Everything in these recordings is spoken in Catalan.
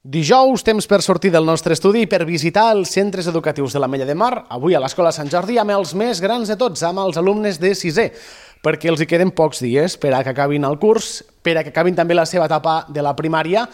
Dijous, temps per sortir del nostre estudi i per visitar els centres educatius de l'Ametlla de Mar, avui a l'Escola Sant Jordi amb els més grans de tots, amb els alumnes de sisè, perquè els hi queden pocs dies per a que acabin el curs, per a que acabin també la seva etapa de la primària,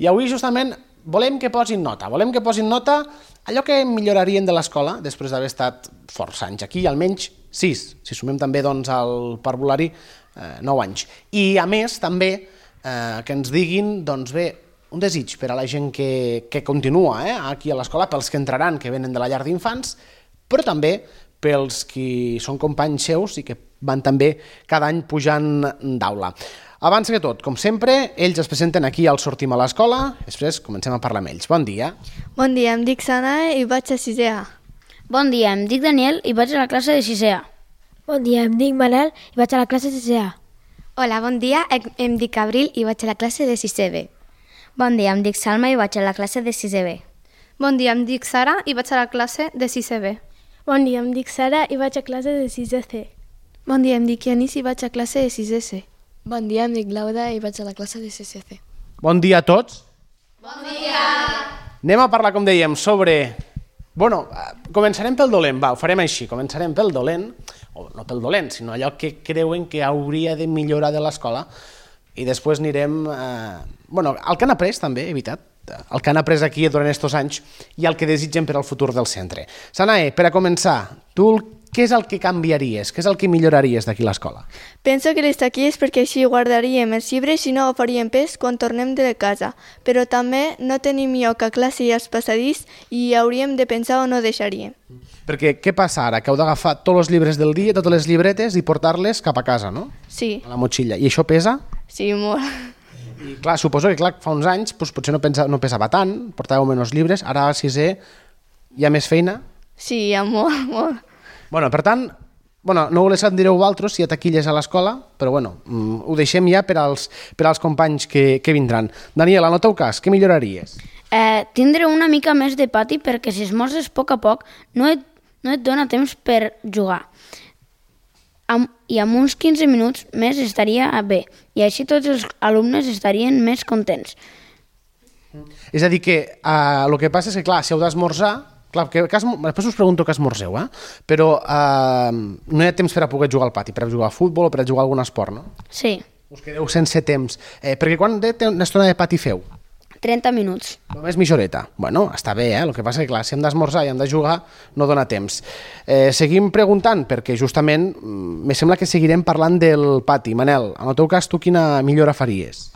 i avui justament volem que posin nota allò que millorarien de l'escola després d'haver estat força anys aquí, almenys 6, si sumem també doncs, el parvulari 9 anys. I a més també que ens diguin, doncs bé, un desig per a la gent que continua aquí a l'escola, pels que entraran, que venen de la llar d'infants, però també pels que són companys seus i que van també cada any pujant d'aula. Abans que tot, com sempre, ells es presenten aquí al Sortim a l'Escola, després comencem a parlar amb ells. Bon dia. Bon dia, em dic Sana i vaig a 6è A. Bon dia, em dic Daniel i vaig a la classe de 6è A. Bon dia, em dic Manel i vaig a la classe de 6è A. Hola, bon dia, em dic Abril i vaig a la classe de 6è B. Bon dia, em dic Salma i vaig a la classe de 6è B. Bon dia, em dic Sara i vaig a la classe de 6è B. Bon dia, em dic Sara i vaig a classe de 6è C. Bon dia, em dic Yanis i vaig a classe de 6è C. Bon dia, em dic Laura i vaig a la classe de 6è C. Bon dia a tots. Bon dia. Anem a parlar, com dèiem, sobre... Bueno, començarem pel dolent, ho farem així, començarem pel dolent, o no pel dolent, sinó allò que creuen que hauria de millorar de l'escola, i després anirem... el que han après també, evitat, el que han après aquí durant aquests anys i el que desitgen per al futur del centre. Sanae, per a començar, tu què és el que canviaries, què és el que milloraries d'aquí a l'escola? Penso que l'estar aquí és perquè així guardaríem els llibres i no agafaríem pes quan tornem de casa, però també no tenim lloc a classe i als passadís i hauríem de pensar on ho deixaríem. Perquè què passa ara? Que heu d'agafar tots els llibres del dia, totes les llibretes i portar-les cap a casa, no? Sí. A la motxilla. I això pesa? Sí, molt. I clar, suposo que fa uns anys potser no pesava tant, portàveu menys llibres, ara a 6è hi ha més feina? Sí, hi ha molt. Per tant, no ho en direu vosaltres si hi ha taquilles a l'escola, però ho deixem ja per als companys que vindran. Daniel, en el teu cas, què milloraries? Tindre una mica més de pati perquè si esmorzes a poc no et dona temps per jugar. I amb uns 15 minuts més estaria bé, i així tots els alumnes estarien més contents. És a dir, que el que passa és que, clar, si heu d'esmorzar, després us pregunto què esmorzeu, però no hi ha temps per a poder jugar al pati, per a jugar a futbol o per a jugar a algun esport, no? Sí. Us quedeu sense temps. Perquè quan d'estona de pati feu? 30 minuts. Només mitja horeta. Està bé, el que passa és que, clar, si hem d'esmorzar i hem de jugar, no dona temps. Seguim preguntant, perquè justament me sembla que seguirem parlant del pati. Manel, en el teu cas, tu quina millora faries?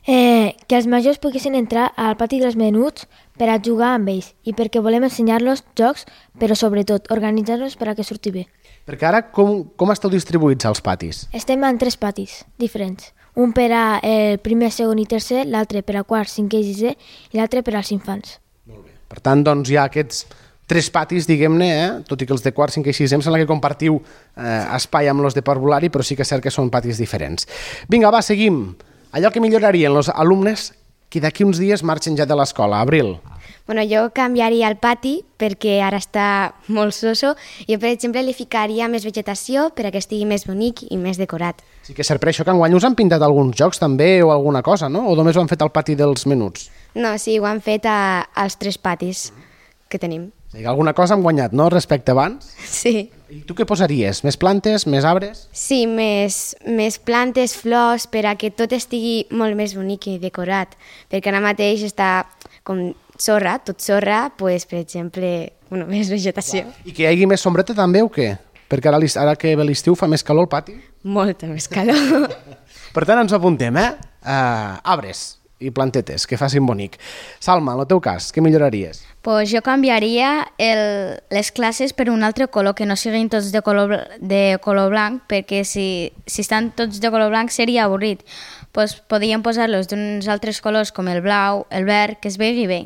Que els majors poguessin entrar al pati dels menuts per a jugar amb ells i perquè volem ensenyar-los jocs, però sobretot organitzar-los per a que surti bé. Perquè ara com esteu distribuïts als patis? Estem en 3 patis diferents. Un per a el primer, segon i tercer, l'altre per a quart, cinquè i sisè i l'altre per als infants. Molt bé. Per tant, doncs hi ha aquests 3 patis, diguem-ne, tot i que els de quart, cinquè i sisè em sembla que compartiu espai amb els de parvulari, però sí que és cert que són patis diferents. Vinga, va, seguim. Allò que millorarien els alumnes que d'aquí uns dies marxen ja de l'escola. Abril. Jo canviaria el pati perquè ara està molt soso. Jo, per exemple, li ficaria més vegetació per a que estigui més bonic i més decorat. Sí que és cert, per això que enguany us han pintat alguns jocs també o alguna cosa, no? O només ho han fet al pati dels menuts? No, sí, ho han fet als 3 patis que tenim. Sí, alguna cosa han guanyat, no?, respecte abans? Sí. I tu què posaries? Més plantes, més arbres? Sí, més plantes, flors, per a que tot estigui molt més bonic i decorat. Perquè ara mateix està com sorra, tot sorra, doncs, per exemple, més vegetació. I que hi hagi més sombreta també o què? Perquè ara que ve l'estiu fa més calor al pati? Molta més calor. Per tant, ens apuntem, arbres i plantetes, que facin bonic. Salma, en el teu cas, què milloraries? Jo canviaria les classes per un altre color, que no siguin tots de color blanc, perquè si estan tots de color blanc seria avorrit. Podríem posar-los d'uns altres colors com el blau, el verd, que es vegi bé.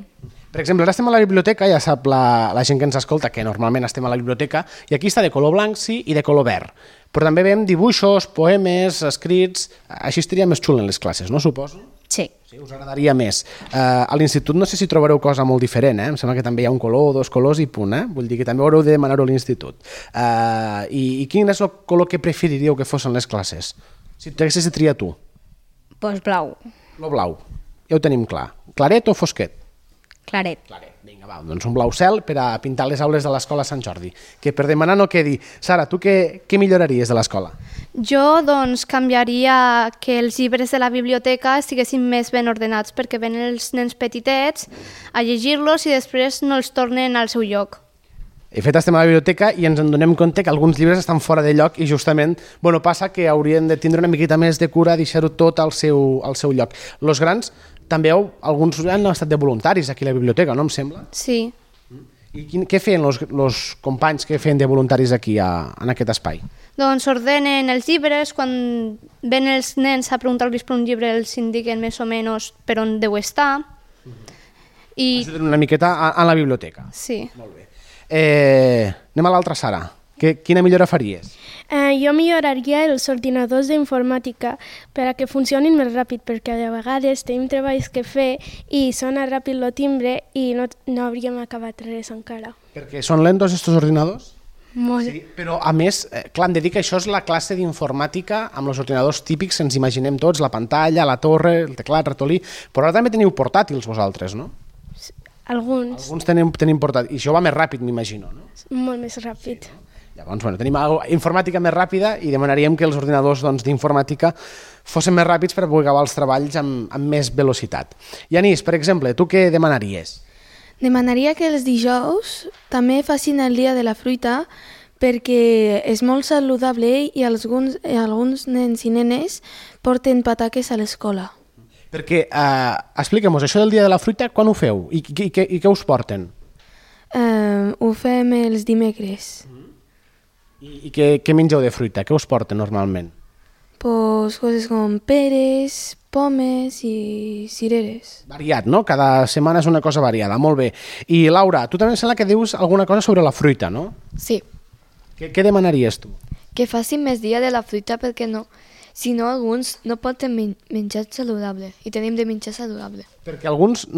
Per exemple, ara estem a la biblioteca, ja sap la gent que ens escolta que normalment estem a la biblioteca, i aquí està de color blanc, sí, i de color verd. Però també veiem dibuixos, poemes, escrits... Així estaria més xul en les classes, no, suposo? Sí. Sí, us agradaria més. A l'institut no sé si trobareu cosa molt diferent, Em sembla que també hi ha un color, 2 colors i punt, Vull dir que també haureu de demanar-ho a l'institut. I quin és el color que preferiríeu que fossin les classes? Si t'haguessis de triar tu. Blau. El blau. Ja ho tenim clar. Claret o fosquet? Claret. Vinga, va, doncs un blau cel per a pintar les aules de l'escola Sant Jordi. Que per demanar no quedi. Sara, tu què milloraries de l'escola? Jo, doncs, canviaria que els llibres de la biblioteca estiguessin més ben ordenats, perquè ven els nens petitets a llegir-los i després no els tornen al seu lloc. De fet, estem a la biblioteca i ens en donem compte que alguns llibres estan fora de lloc i justament passa que haurien de tindre una miqueta més de cura, deixar-ho tot al seu lloc. Los grans també alguns han estat de voluntaris aquí a la biblioteca, no em sembla? Sí. I què feien els companys que feien de voluntaris aquí en aquest espai? Doncs ordenen els llibres, quan ven els nens a preguntar-los per un llibre els indiquen més o menys per on deu estar. Una miqueta a la biblioteca. Sí. Molt bé. Anem a l'altra, Sara. Quina millora faries? Jo milloraria els ordinadors d'informàtica per a que funcionin més ràpid, perquè a vegades tenim treballs que fer i sona ràpid el timbre i no hauríem acabat res encara. Perquè són lentos estos ordinadors? Molt. Sí, però a més, clar, hem de dir que això és la classe d'informàtica amb els ordinadors típics que ens imaginem tots, la pantalla, la torre, el teclat, ratolí, però ara també teniu portàtils vosaltres, no? Alguns. Alguns tenim portàtils, i això va més ràpid, m'imagino, no? Molt més ràpid. Sí, no? Llavors, tenim informàtica més ràpida i demanaríem que els ordinadors d'informàtica fossin més ràpids per poder acabar els treballs amb més velocitat. Yanis, per exemple, tu què demanaries? Demanaria que els dijous també facin el dia de la fruita perquè és molt saludable i alguns nens i nenes porten pataques a l'escola. Perquè, expliquem-nos, això del dia de la fruita, quan ho feu? I què us porten? Ho fem els dimecres. I què mengeu de fruita? Què us porten normalment? Pues coses com peres, pomes i cireres. Variat, no? Cada setmana és una cosa variada, molt bé. I Laura, tu també em sembla que dius alguna cosa sobre la fruita, no? Sí. Què demanaries tu? Que facin més dia de la fruita perquè no, si no alguns no poden menjar saludable i tenim de menjar saludable. Perquè alguns,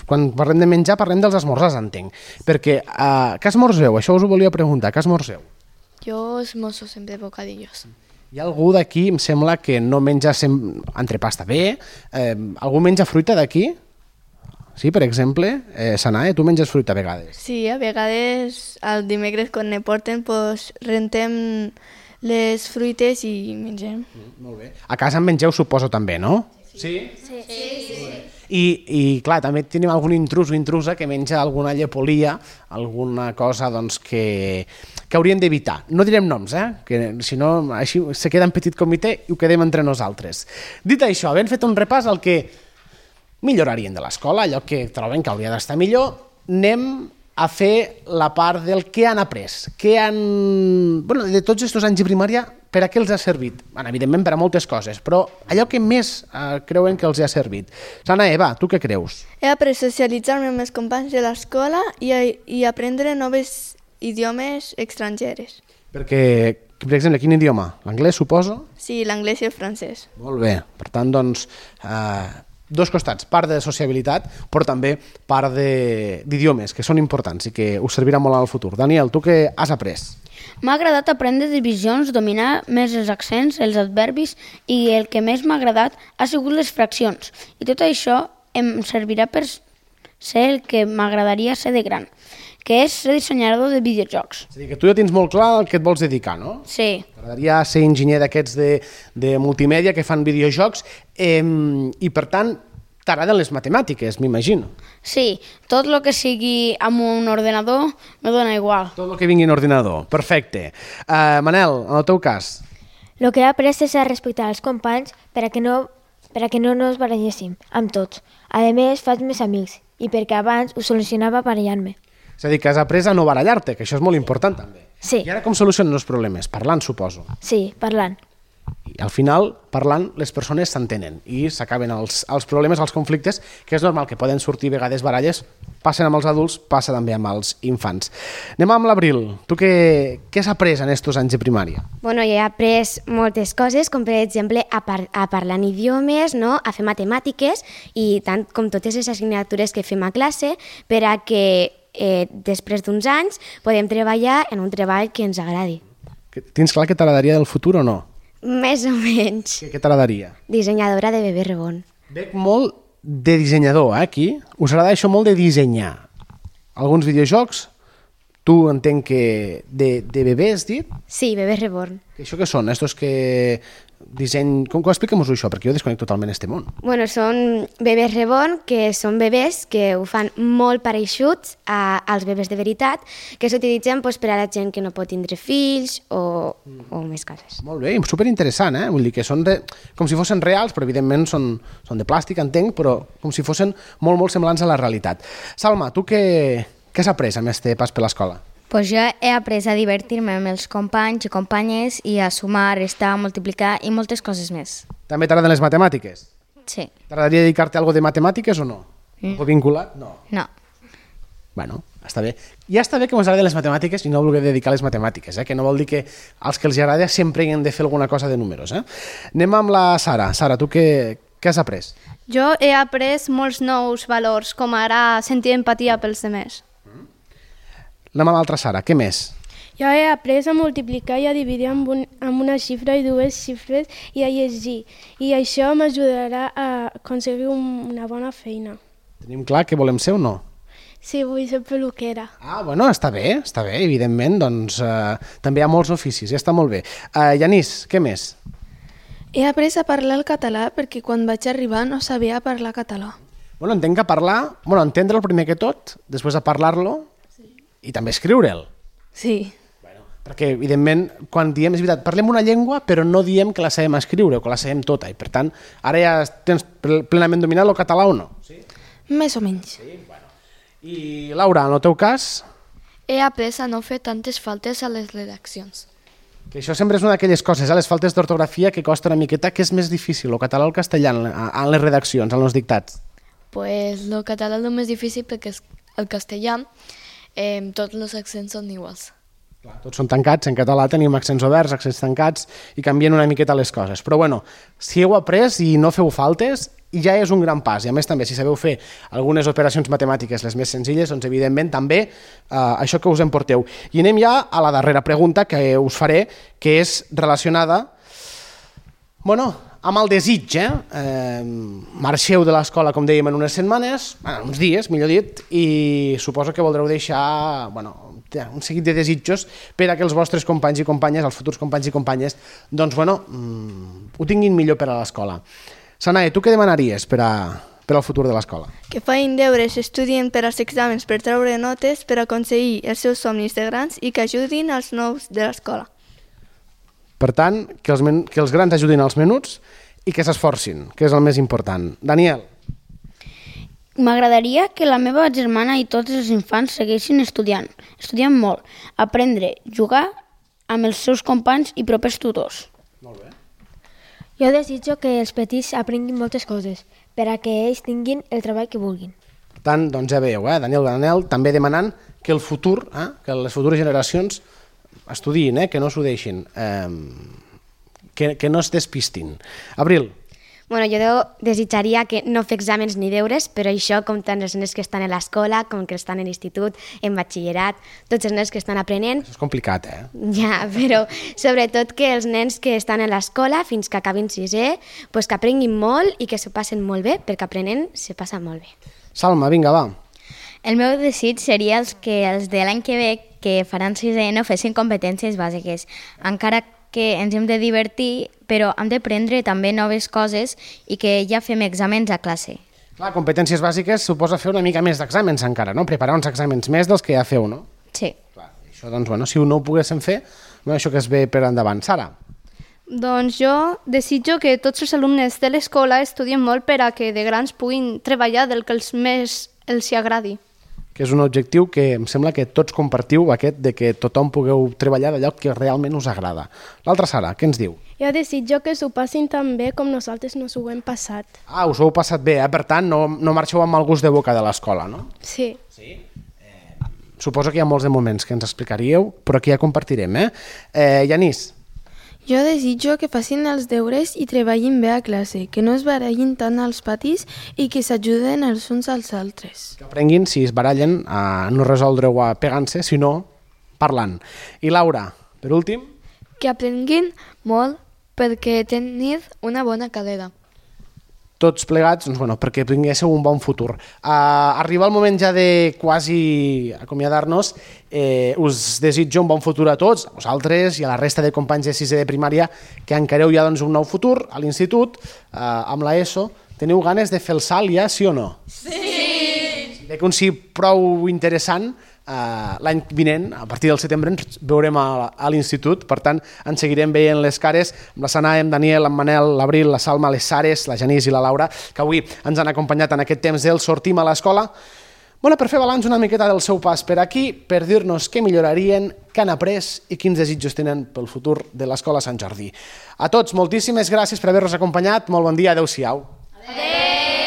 quan parlem de menjar, parlem dels esmorzars, entenc. Perquè, què esmorzeu? Això us ho volia preguntar, què esmorzeu? Jo esmorzo sempre bocadillos. Hi ha algú d'aquí, em sembla, que no menja entrepà, està bé. Algú menja fruita d'aquí? Sí, per exemple? Sanae, tu menges fruita a vegades? Sí, a vegades el dimecres quan ne porten pues, rentem les fruites i mengem. Molt bé. A casa en mengeu, suposo, també, no? Sí? Sí. I clar, també tenim algun intrus o intrusa que menja alguna llepolia, alguna cosa doncs, que hauríem d'evitar. No direm noms, que si no així se queda en petit comitè i ho quedem entre nosaltres. Dit això, havent fet un repàs al que millorarien de l'escola, allò que troben que hauria d'estar millor, anem a fer la part del que han après. De tots aquests anys de primària, per a què els ha servit? Evidentment per a moltes coses, però allò que més creuen que els ha servit. Sana, Eva, tu què creus? He après a socialitzar-me amb els companys de l'escola i aprendre noves idiomes estrangeres. Perquè, per exemple, quin idioma? L'anglès, suposo? Sí, l'anglès i el francès. Molt bé. Per tant, doncs, dos costats, part de sociabilitat, però també part d'idiomes, que són importants i que us servirà molt al futur. Daniel, tu què has après? M'ha agradat aprendre divisions, dominar més els accents, els adverbis i el que més m'ha agradat ha sigut les fraccions. I tot això em servirà per ser el que m'agradaria ser de gran, que és ser dissenyador de videojocs. És a dir, que tu ja tens molt clar el que et vols dedicar, no? Sí. T'agradaria ser enginyer d'aquests de multimèdia que fan videojocs i, per tant, t'agraden les matemàtiques, m'imagino. Sí, tot el que sigui amb un ordenador me dona igual. Tot el que vingui en ordinador, perfecte. Manel, en el teu cas? El que he après és a respectar els companys per a que no nos baralléssim amb tots. A més, faig més amics i perquè abans ho solucionava barallant-me. És a dir, que has après a no barallar-te, que això és molt important també. Sí. I ara com solucionen els problemes? Parlant, suposo. Sí, parlant. I al final, parlant, les persones s'entenen i s'acaben els problemes, els conflictes, que és normal que poden sortir a vegades baralles, passen amb els adults, passa també amb els infants. Anem amb l'Abril. Tu què has après en aquests anys de primària? Bueno, jo he après moltes coses, com per exemple a parlar en idiomes, no? A fer matemàtiques i tant com totes les assignatures que fem a classe per a que després d'uns anys podem treballar en un treball que ens agradi. Tens clar què t'agradaria del futur o no? Més o menys. Què t'agradaria? Dissenyadora de bebè reborn. Veig molt de dissenyador, aquí. Us agrada això molt de dissenyar. Alguns videojocs, tu entenc que de bebès, dit? Sí, Bebès Reborn. Això què són? Estos que disseny... Com expliquem-nos això? Perquè jo desconec totalment este món. Bueno, són Bebès Reborn, que són bebès que ho fan molt pareixuts als bebès de veritat, que s'utilitzen per a la gent que no pot tindre fills o més coses. Molt bé, superinteressant, Vull dir que són com si fossin reals, però evidentment són de plàstic, entenc, però com si fossin molt semblants a la realitat. Salma, tu què has après amb este pas per l'escola? Pues jo he après a divertir-me amb els companys i companyes i a sumar, restar, multiplicar i moltes coses més. També t'agraden les matemàtiques? Sí. T'agradaria dedicar-te a algo de matemàtiques o no? O vinculat? No. No. Bueno, està bé. Ja està bé que us agraden les matemàtiques i no vulgueu dedicar a les matemàtiques, que no vol dir que als que els agrada sempre hi han de fer alguna cosa de números. Anem amb la Sara. Sara, tu què has après? Jo he après molts nous valors, com ara sentir empatia pels demés. Anem a l'altra Sara. Què més? Jo he après a multiplicar i a dividir amb una xifra i dues xifres i a llegir. I això m'ajudarà a aconseguir una bona feina. Tenim clar què volem ser o no? Sí, vull ser peluquera. Ah, bueno, està bé, evidentment, doncs també hi ha molts oficis, ja està molt bé. Yanís, què més? He après a parlar el català perquè quan vaig arribar no sabia parlar català. Bueno, entenc que entendre'l primer que tot, després de parlar-lo i també escriure'l. Sí. Perquè, evidentment, quan diem, és veritat, parlem una llengua, però no diem que la sabem escriure o que la sabem tota. I, per tant, ara ja tens plenament dominat el català o no? Sí? Més o menys. Sí, bueno. I, Laura, en el teu cas? He après a no fer tantes faltes a les redaccions. Que això sempre és una d'aquelles coses, les faltes d'ortografia que costa una miqueta, que és més difícil, el català o el castellà, en les redaccions, en els dictats? Pues el català és el més difícil perquè el castellà tots els accents són iguals. Clar, tots són tancats, en català tenim accents oberts, accents tancats i canvien una miqueta les coses. Però bueno, si heu après i no feu faltes, ja és un gran pas. I a més també, si sabeu fer algunes operacions matemàtiques les més senzilles, doncs evidentment també això que us en porteu. I anem ja a la darrera pregunta que us faré, que és relacionada amb el desig. Marxeu de l'escola, com dèiem, en unes setmanes, uns dies, millor dit, i suposo que voldreu deixar un seguit de desitjos per a que els vostres companys i companyes, els futurs companys i companyes, doncs, ho tinguin millor per a l'escola. Sanae, tu què demanaries per al futur de l'escola? Que feien deures, estudien per als exàmens per treure notes, per aconseguir els seus somnis de grans i que ajudin als nous de l'escola. Per tant, que els grans ajudin als menuts i que s'esforcin, que és el més important. Daniel. M'agradaria que la meva germana i tots els infants segueixin estudiant molt, aprendre, jugar amb els seus companys i propers tutors. Molt bé. Jo desitjo que els petits aprenguin moltes coses per a que ells tinguin el treball que vulguin. Per tant, doncs ja veieu, Daniel també demanant que el futur, que les futures generacions estudiïn, que no s'ho deixin, que no es despistin. Abril. Bueno, jo desitjaria que no fer exàmens ni deures, però això com tant els nens que estan a l'escola, com que estan a l'institut, en batxillerat, tots els nens que estan aprenent. Això és complicat, Ja, però sobretot que els nens que estan a l'escola fins que acabin sisè, que aprenguin molt i que s'ho passen molt bé, perquè aprenent se passa molt bé. Salma, vinga, va. El meu desig seria que els de l'any que ve, que faran sisè, no fessin competències bàsiques, encara que ens hem de divertir, però hem d'aprendre també noves coses i que ja fem exàmens a classe. Clar, competències bàsiques suposa fer una mica més d'exàmens encara, no? Preparar uns exàmens més dels que ja feu, no? Sí. Clar, això, doncs, si no ho poguéssim fer, això que es ve per endavant. Sara? Doncs jo desitjo que tots els alumnes de l'escola estudien molt per a que de grans puguin treballar del que més els agradi. Que és un objectiu que em sembla que tots compartiu, aquest de que tothom pugueu treballar d'allò que realment us agrada. L'altra Sara, què ens diu? Jo desitjo que s'ho passin tan bé com nosaltres nos ho hem passat. Us ho heu passat bé, per tant no marxeu amb mal gust de boca de l'escola, no? Sí. Suposo que hi ha molts de moments que ens explicaríeu, però que ja compartirem, Yanís? Jo desitjo que facin els deures i treballin bé a classe, que no es barallin tant als patis i que s'ajuden els uns als altres. Que aprenguin, si es barallen, a no resoldre-ho pegant-se, sinó parlant. I Laura, per últim? Que aprenguin molt perquè tenir una bona carrera. tots plegats, doncs, bueno, perquè tinguéssiu un bon futur. Arriba el moment ja de quasi acomiadar-nos. Us desitjo un bon futur a tots, a vosaltres i a la resta de companys de sisè de primària que encareu ja doncs, un nou futur a l'institut, amb l'ESO. Teniu ganes de fer el salt ja, sí o no? Sí! Veig un sí prou interessant. L'any vinent, a partir del setembre, ens veurem a l'institut, per tant, ens seguirem veient les cares amb la Sanà, amb Daniel, amb Manel, l'Abril, la Salma, les Sares, la Janís i la Laura, que avui ens han acompanyat en aquest temps del Sortim a l'escola. Bueno, per fer balanç una miqueta del seu pas per aquí, per dir-nos què millorarien, què han après i quins desitjos tenen pel futur de l'Escola Sant Jordi. A tots, moltíssimes gràcies per haver-nos acompanyat. Molt bon dia, adeu-siau. Adeu!